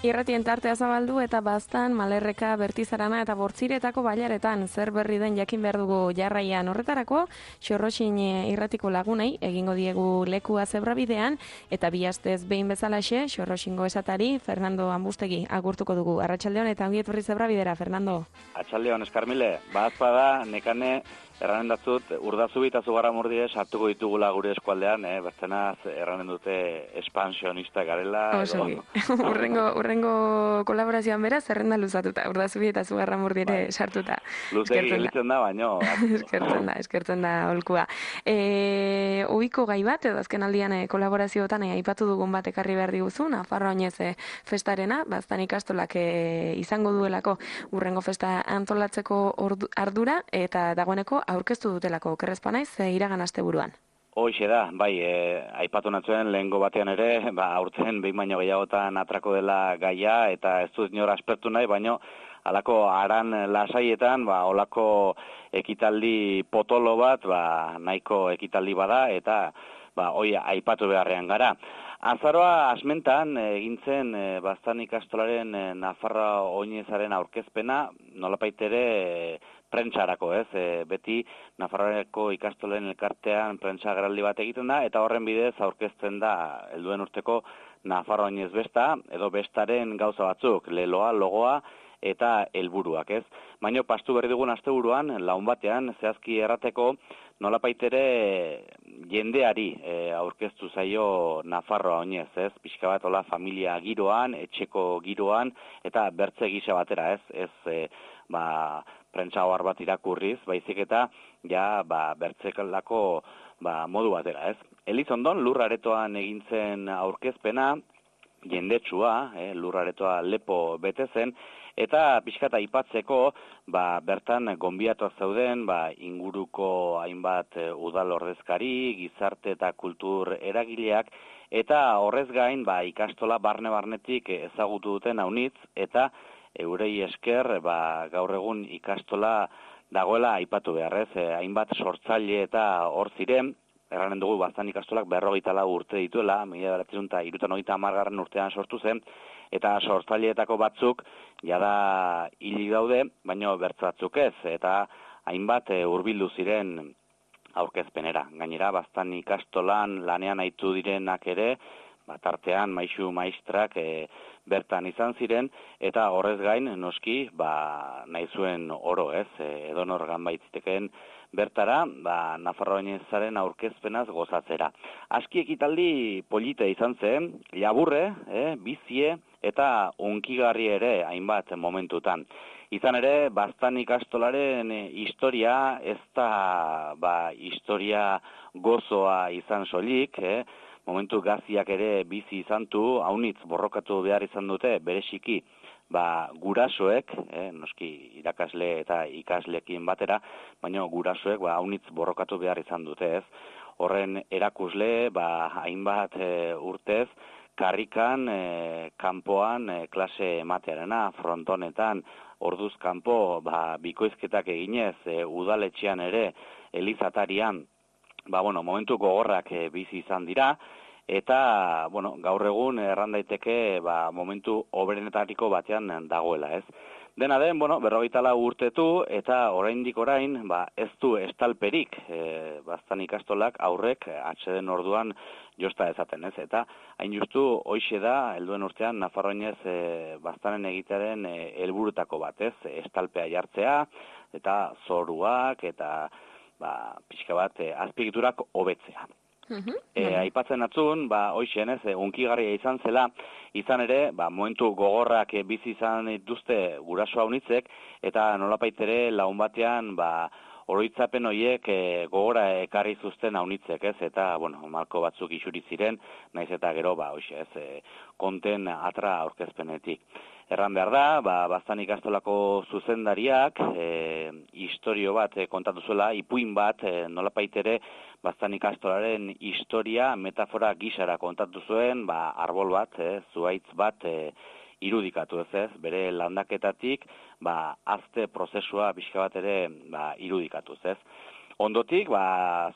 Irratien tartea zabaldu eta baztan, Malerreka, Bertizarana eta Bortziretako bailaretan zer berri den jakin behar dugu jarraian horretarako, Xorroxin irratiko lagunei egingo diegu lekua zebrabidean eta bi astez behin bezalaxe Xorroxingo esatari Fernando Ambustegi agurtuko dugu. Arratsaldeon eta ongi etorri zebrabidera, Fernando. Arratsaldeon, Eskarmile, bazpada nekane erranen datzut, Urdazubi eta Zugarramurdire sartuko ditugula gure eskualdean, bertzenaz erranen dute expansionista garela. Osogi. Urrengo kolaborazioan bera zerrenda luzatuta, Urdazubi eta Zugarramurdire sartuta. Luzegi gelitzen da, baino. Eskertzen da holkua. Ohiko gai bat, edo azken aldian kolaborazioetan aipatu dugun bat ekarri behar diguzu, Nafarroa Oinez festarena, baztan ikastolak izango duelako urrengo festa antolatzeko ardura, eta dagoeneko aurkeztu dutelako, okerrezpa naiz, iragan asteburuan. Hoxe da, bai, aipatu natzuen lehengo batean ere, aurten behin baino gehiagotan atrako dela gaia, eta ez dut inor aspertu nahi, baino halako aran lasaietan, holako ekitaldi potolo bat, nahiko ekitaldi bada, eta hoi aipatu beharrean gara. Azaroa asmentan egintzen baztan ikastolaren Nafarroa Oinezaren aurkezpena, nolapait ere prentsarako, beti Nafarroako ikastolen elkartean prentsa agerraldi bat egiten da, eta horren bidez aurkezten da helduen urteko Nafarroa Oinez besta, edo bestaren gauza batzuk, leloa, logoa, eta helburuak, Baina pastu berri dugun asteburuan, laun batean, zehazki errateko, nolapait ere jendeari aurkeztu zaio Nafarroa Oinez, pixka bat hola familia giroan, etxeko giroan, eta bertze gisa batera, prentsa ohar bat irakurriz, baizik eta bertzekalako modu batera, Elizondon lurraretoan egintzen aurkezpena, jendetsua, lurraretoa lepo bete zen, eta pixkata aipatzeko, bertan gonbiatuak zeuden, inguruko hainbat udal ordezkari, gizarte eta kultur eragileak, eta horrez gain, ikastola barne-barnetik ezagutu duten haunitz, eta eurei esker, gaur egun ikastola dagoela aipatu beharrez, hainbat sortzaile eta hor ziren, erranen dugu baztan ikastolak 54 urte dituela, 1970 urtean sortu zen, eta sortzaileetako batzuk jada hilik daude, baino bertze batzuk ez, eta hainbat hurbildu ziren aurkezpenera. Gainera, baztan ikastolan lanean aitu direnak ere, tartean maisu maistrak bertan izan ziren, eta horrez gain, noski, nahi zuen oro, edonor ganbaitziteken bertara, Nafarroa Oinezaren aurkezpenaz gozatzera. Aski ekitaldi polite izan zen, laburre, bizie, eta unkigarri ere hainbat momentutan. Izan ere, baztan ikastolaren historia, ez da historia gozoa izan soilik, momentu gaziak ere bizi izan du, haunitz borrokatu behar izan dute, bereziki, gurasoek, noski irakasle eta ikaslekin batera, baina gurasoek haunitz borrokatu behar izan dute, Horren erakusle, hainbat urtez, karrikan, kanpoan, klase ematearena, frontonetan, orduz kanpo, bikoizketak eginez, udaletxean ere, elizatarian, momentu gogorrak bizi izan dira, eta, gaur egun erran daiteke momentu hoberenetariko batean dagoela, Dena den, 54 urtetu, eta oraindik orain, ez du estalperik, baztan ikastolak aurrek atseden orduan josta ezaten, Eta hain justu, hoixe da, helduen urtean, Nafarroa Oinez baztanen egitearen helburutako bat, estalpea jartzea, eta zoruak, eta pixka bat azpiegiturak hobetzea. Aipatzen atzun, hoixen, unkigarria izan zela, izan ere, momentu gogorrak bizi izan dituzte guraso haunitzek, eta nolapait ere laun batean, oroitzapen horiek gogora ekarri zuzten haunitzek, eta, malko batzuk isuri ziren, naiz eta gero, konten atra aurkezpenetik. Erran behar da, baztan ikastolako zuzendariak, historio bat kontatu zuela, ipuin bat, nolapait ere, baztan ikastolaren historia, metafora gisara kontatu zuen, arbol bat, zuhaitz bat irudikatu bere landaketatik, azte prozesua pixka bat ere irudikatuz, Ondotik,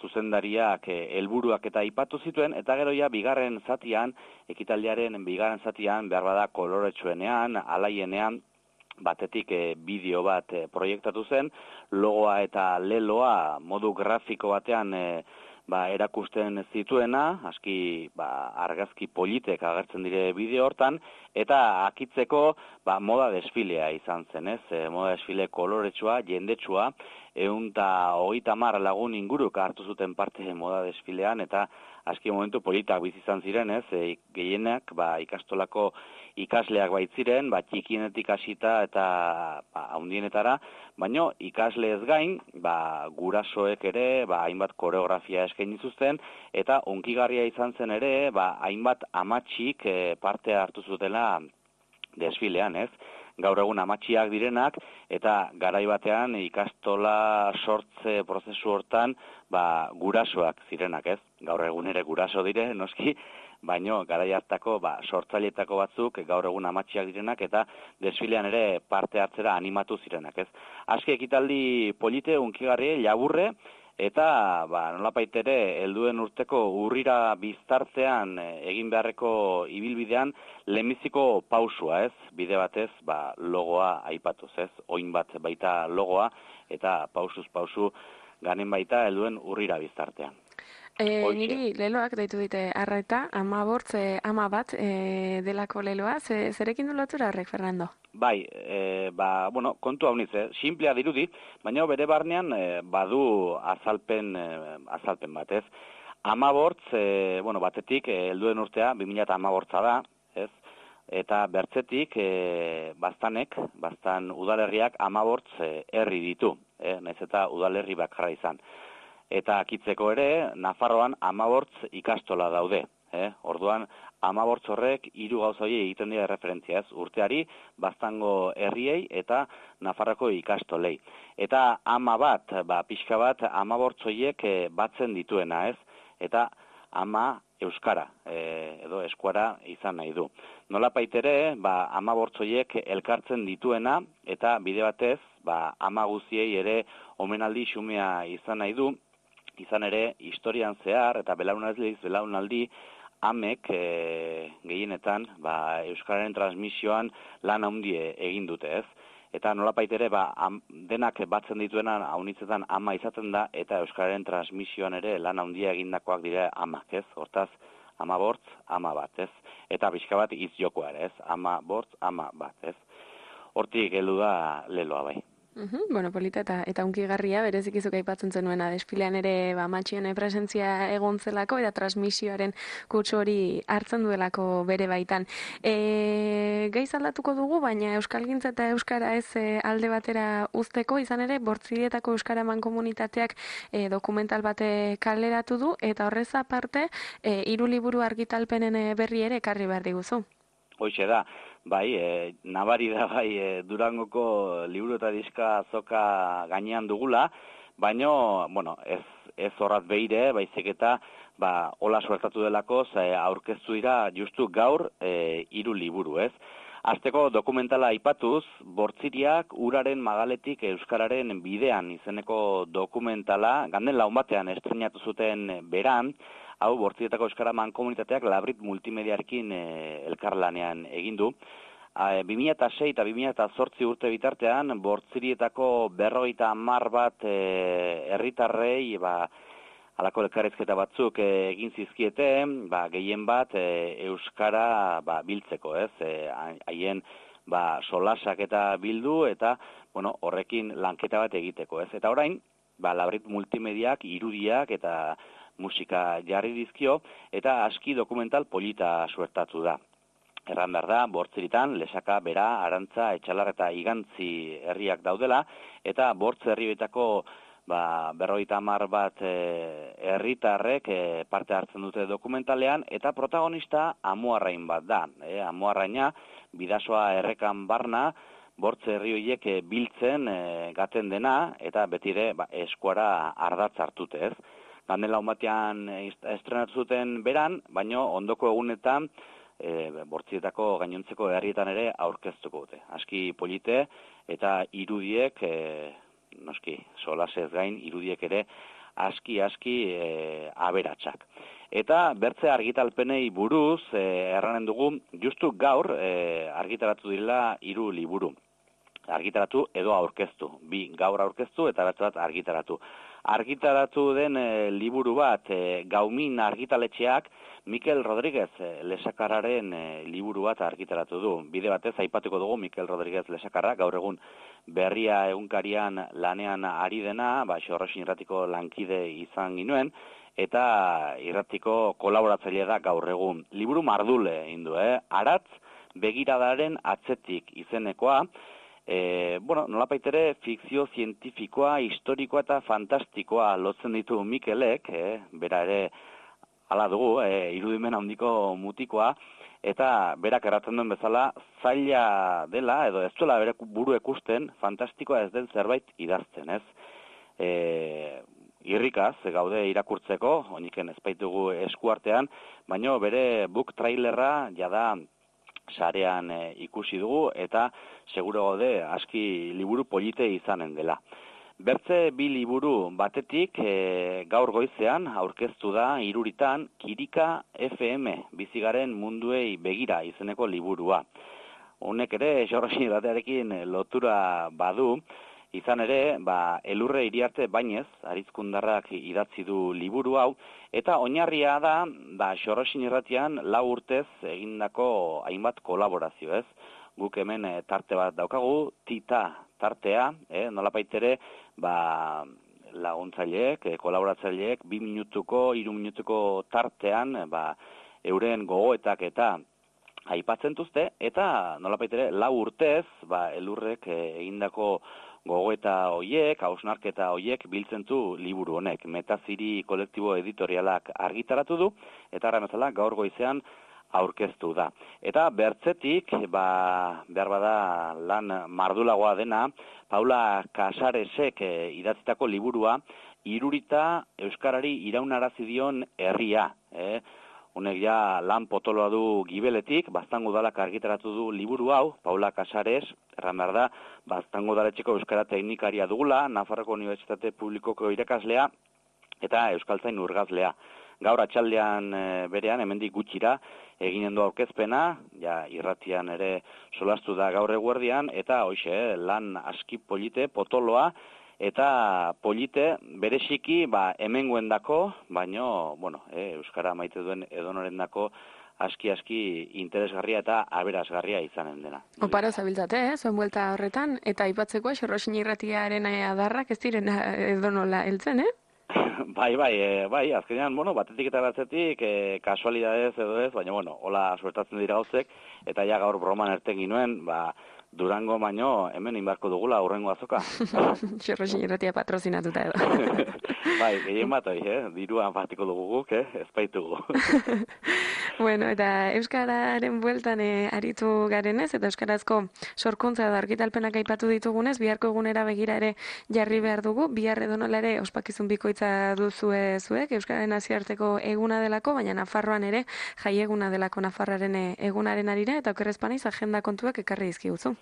zuzendariak helburuak eta aipatu zituen, eta gero ja bigarren zatian, ekitaldiaren bigarren zatian, behar bada koloretsuenean, alaienean, batetik bideo bat proiektatu zen, logoa eta leloa modu grafiko batean erakusten zituena, aski argazki politek agertzen dire bideo hortan, eta akitzeko moda desfilea izan zen, ez? Moda desfile koloretsua, jendetsua, 130 lagun inguruk hartu zuten parte moda desfilean, eta aski momentu politak bizi izan ziren, ez? Gehienak ikastolako ikasleak baitziren, txikienetik hasita eta handienetara, baino ikasle ez gain, gurasoek ere, hainbat koreografia eskaini zuten, eta hunkigarria izan zen ere, hainbat amatxik parte hartu zutela desfilean, ez? Gaur egun amatxiak direnak, eta garai batean ikastola sortze prozesu hortan, gurasoak zirenak, ez? Gaur egun ere guraso dire, noski, baino garai hartako sortzaileetako batzuk gaur egun amatxiak direnak eta desfilean ere parte hartzera animatu zirenak, ez? Aski ekitaldi polite, hunkigarri, laburre, eta nolapait ere helduen urteko urrira biztartean egin beharreko ibilbidean lehenbiziko pausua, ez? Bide batez, logoa aipatuz, ez? Oin bat baita logoa eta pausuz pausu ganen baita helduen urrira biztartean. Niri leloak deitu dite arreta, ama bat delako leloa, zerekin du lotura horrek, Fernando? Bai, kontu hau nitz, simplea dirudi, baina bere barnean badu azalpen bat, ez? Amabortz, batetik, helduen urtea, 2018 da, ez? Eta bertzetik, baztan udalerriak amabortz herri ditu, nahiz eta udalerri bakarra izan. Eta akitzeko ere, Nafarroan 15 ikastola daude. Orduan, 15 horrek 3 gauza horiei egiten dira referentzia, ez? Urteari, baztango herriei eta Nafarroko ikastolei. Eta ama bat, pixka bat, 15 horiek batzen dituena, ez? Eta ama euskara, edo eskuara izan nahi du. Nolapait ere, 15 horiek elkartzen dituena, eta bide batez, ama guziei ere omenaldi xumea izan nahi du, izan ere, historian zehar eta belaunaldi amek gehienetan euskararen transmisioan lan handie egin dute, ez? Eta nolapait ere denak batzen dituenan haunitzetan ama izaten da eta euskararen transmisioan ere lan handia egindakoak dira amak, ez? Hortaz, ama bortz, ama bat, ez? Eta pixka bat hitz jokoa ere, ez? Ama bortz, ama bat, ez? Hortik heldu da leloa bai. Polita eta hunkigarria, berezikizuk aipatzen zenuena, desfilean ere matxien presentzia egon zelako, eta transmisioaren kutsu hori hartzen duelako bere baitan. Gaiz aldatuko dugu, baina euskalgintza eta euskara ez alde batera uzteko, izan ere, Bortzirietako euskara mankomunitateak dokumental bate kaleratu du, eta horrez aparte, 3 liburu argitalpenen berri ere ekarri behar diguzu. Hoxe da, nabari da Durangoko liburu eta diska azoka gainean dugula, baino, ez horrat behire, baizik eta, hola suertatu delako, aurkeztu dira justu gaur 3 liburu, ez? Azteko dokumentala aipatuz, Bortziriak uraren magaletik euskararen bidean izeneko dokumentala, ganden laun batean estrenatu zuten beran, hau Bortzirietako euskara mankomunitateak Labrit multimediarekin elkarlanean egin du. 2006 eta 2008 urte bitartean, Bortzirietako 50 bat herritarrei, halako elkarrizketa batzuk egin zizkiete, gehien bat euskara biltzeko, ez? Haien solasak eta bildu eta horrekin lanketa bat egiteko, ez? Eta orain, Labrit multimediak, irudiak eta musika jarri dizkio eta aski dokumental polita suertatu da. Erran behar da, Bortziritan, Lesaka, Bera, Arantza, Etxalar eta Igantzi herriak daudela, eta Bortz herrietako 50 bat herritarrek parte hartzen dute dokumentalean, eta protagonista Amuarrain bat da. Amuarraina, bidasoa errekan barna, Bortz herri horiek biltzen gaten dena, eta betire eskuara ardatz hartute, ez? Ganden laun batean estrenatu zuten beran, baino ondoko egunetan Bortzirietako gainontzeko herrietan ere aurkeztuko dute. Aski polite eta irudiek noski, solasez gain, irudiek ere aski aberatsak. Eta bertze argitalpenei buruz, erranen dugu, justu gaur argitaratu dira 3 liburu. Argitaratu edo aurkeztu. 2 gaur aurkeztu eta beste bat argitaratu. Argitaratu den liburu bat, Gaumin argitaletxeak, Mikel Rodríguez Lesakarraren liburu bat argitaratu du. Bide batez aipatuko dugu Mikel Rodríguez Lesakarra, gaur egun Berria egunkarian lanean ari dena, Xorroxin irratiko lankide izan ginuen, eta irratiko kolaboratzaile da gaur egun. Liburu mardule egin du, Aratz begiradaren atzetik izenekoa, nolapaitere fikzio zientifikoa, historikoa eta fantastikoa lotzen ditu Mikelek, bera ere hala dugu, irudimen handiko mutikoa, eta berak erratzen duen bezala zaila dela, edo ez duela bere buru ikusten, fantastikoa ez den zerbait idazten, ez? Irrikaz, gaude irakurtzeko, oiniken ez baitugu eskuartean, baina bere book trailerra jada sarean ikusi dugu, eta seguro gaude aski liburu polite izanen dela. Bertze 2 liburu batetik gaur goizean aurkeztu da Iruritan Kirika FM bizigaren munduei begira izeneko liburua. Honek ere Xorroxin irratiarekin lotura badu, izan ere, Elurre Iriarte Bainez, Arizkundarrak idatzi du liburu hau, eta oinarria da Xorroxin irratian 4 urtez egindako hainbat kolaborazio, ez? Guk hemen tarte bat daukagu, Tita tartea, nolapaitere, laguntzaileek, kolaboratzaileek, 2 minutuko, 3 minutuko tartean, euren gogoetak eta aipatzen duzte, eta nolapaitere, 4 urtez, Elurrek egindako gogoeta hoiek, hausnarketa hoiek biltzen du liburu honek. Metaziri kolektibo editorialak argitaratu du, eta arra bezala gaur goizean aurkeztu da. Eta bertzetik, behar bada lan mardulagoa dena, Paula Casaresek idatzitako liburua, Irurita Euskarari iraunarazi dion herria. Honek ja lan potoloa du Gibeletik, Baztango udalak argitaratu du liburu hau, Paula Casares, erran behar da, Baztango udaletxeko euskara teknikaria dugula, Nafarroko Unibertsitate Publikoko irakaslea eta euskaltzain urgazlea. Gaur atxaldean berean, hemendik gutxira, eginen du aurkezpena, irratian ere solastu da gaur eguerdian, eta hoxe, lan aski polite, potoloa, eta polite bereziki hemengoendako, baino, euskara maite duen edonorendako aski interesgarria eta aberasgarria izanen dena. Oparo zabiltzate, zuen buelta horretan, eta aipatzeko Xorroxin irratiaren adarrak ez diren edonola heltzen, Bai, azkenean, batetik eta batzetik, kasualidadez edo ez, baina, hola suertatzen dira gauzek, eta ja gaur broman erten ginuen, Durango baino hemen inbarko dugula aurrengo azoka. Xorroxin irratia patrozinatuta edo. Bai, gehien bat diruan partiko dugu guk, ez baitugu. Bueno, eta euskararen bueltan aritu garenez, eta euskarazko sorkuntza edo argitalpenak aipatu ditugunez, biharko egunera begira ere jarri behar dugu, bihar edonola ere ospakizun bikoitza duzue zuek, euskararen nazioarteko eguna delako, baina Nafarroan ere jai eguna delako Nafarraren egunaren arira, eta okerrezpaniz agenda kontuak ekarri dizkiguzu.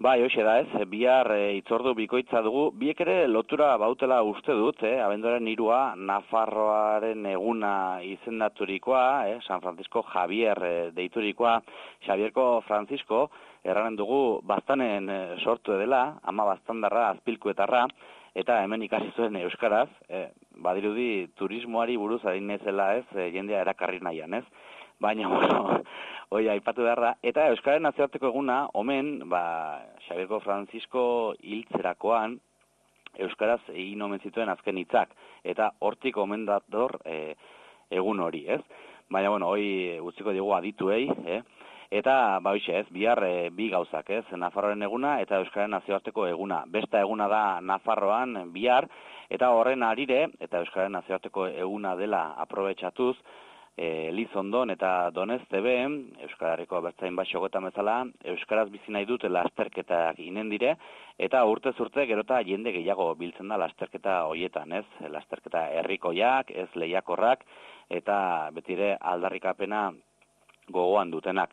Bai, hoxe da ez, bihar itzordu bikoitza dugu, biek ere lotura bautela uste dut, abenduaren 3 Nafarroaren eguna izendaturikoa, San Francisco Javier deiturikoa, Xavierko Francisco, erranen dugu baztanen sortu dela, ama baztandarra, azpilkuetarra, eta hemen ikasi zuen euskaraz, badirudi turismoari buruz ari nezela ez, jendea erakarri nahian ez, baina, hoi aipatu beharra, eta Euskararen nazioarteko eguna, omen, Xabierko Francisco hiltzerakoan, Euskaraz egin omen zituen azken hitzak, eta hortik omen dator egun hori, ez? Baina, hoi utziko digu adituei, eta, ez, bihar 2 gauzak, ez? Nafarroaren eguna eta Euskararen nazioarteko eguna. Besta eguna da Nafarroan bihar, eta horren arire, eta Euskararen nazioarteko eguna dela aprobetxatuz, Lizondon eta Doneztebe, Euskararriko abertzain bat xogotan bezala, Euskaraz bizi nahi dut lasterketak inen dire, eta urtez urte gerota jende gehiago biltzen da lasterketa hoietan, ez? Lasterketa herrikoiak, ez lehiakorrak, eta betire aldarrikapena gogoan dutenak.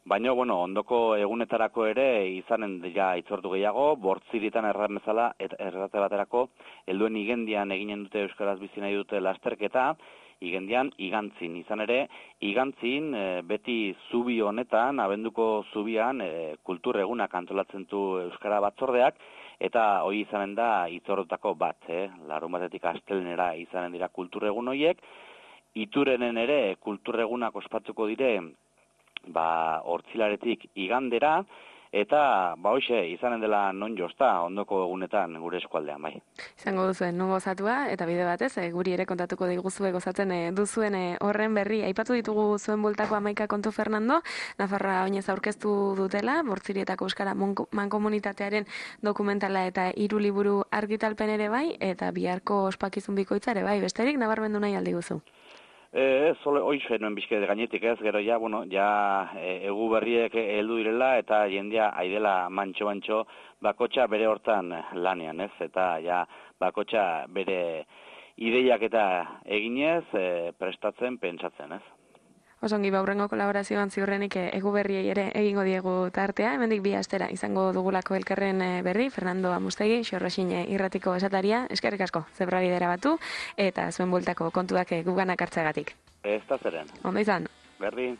Baina, ondoko egunetarako ere izanen ja itzortu gehiago, bortziritan errate baterako, helduen igendian eginen dute Euskaraz bizi nahi dute lasterketa, igendian igantzin. Izan ere, igantzin beti zubi honetan, abenduko zubian, kultur egunak antolatzen du Euskara batzordeak, eta hori izanen da itzordutako bat, larun batetik astelnera izanen dira kultur egun horiek, Iturenen ere kultur egunak ospatuko dire, hortzilaretik igandera, eta hoxe izanen dela non josta ondoko egunetan gure eskualdean, bai. Izango duzuen non gozatua, eta bide batez, guri ere kontatuko diguzue gozatzen duzuen horren berri. Aipatu ditugu zuen bueltako 11 kontu Fernando, Nafarroa oinez aurkeztu dutela, Bortzirietako Euskara Mankomunitatearen dokumentala eta 3 liburu argitalpen ere bai, eta biharko ospakizun bikoitza ere bai, besterik nabarmendu nahi aldi guzu. Hoxe nuen bizkede gainetik ez, gero egu berriek heldu direla eta jendea aidela mantxo bakotxa bere hortan lanean ez, eta bakotxa bere ideiak eta eginez prestatzen, pentsatzen ez. Osongi baurrengo kolaborazioan ziurrenik egu berriei ere egingo diegu tartea, hemendik 2 astera izango dugulako elkarren berri, Fernando Amustegi, Xorroxin irratiko esataria, eskerrik asko, zebrabidera batu, eta zuen bueltako kontuak guganak hartzeagatik. Ez da zeren. Ondo izan. Berri.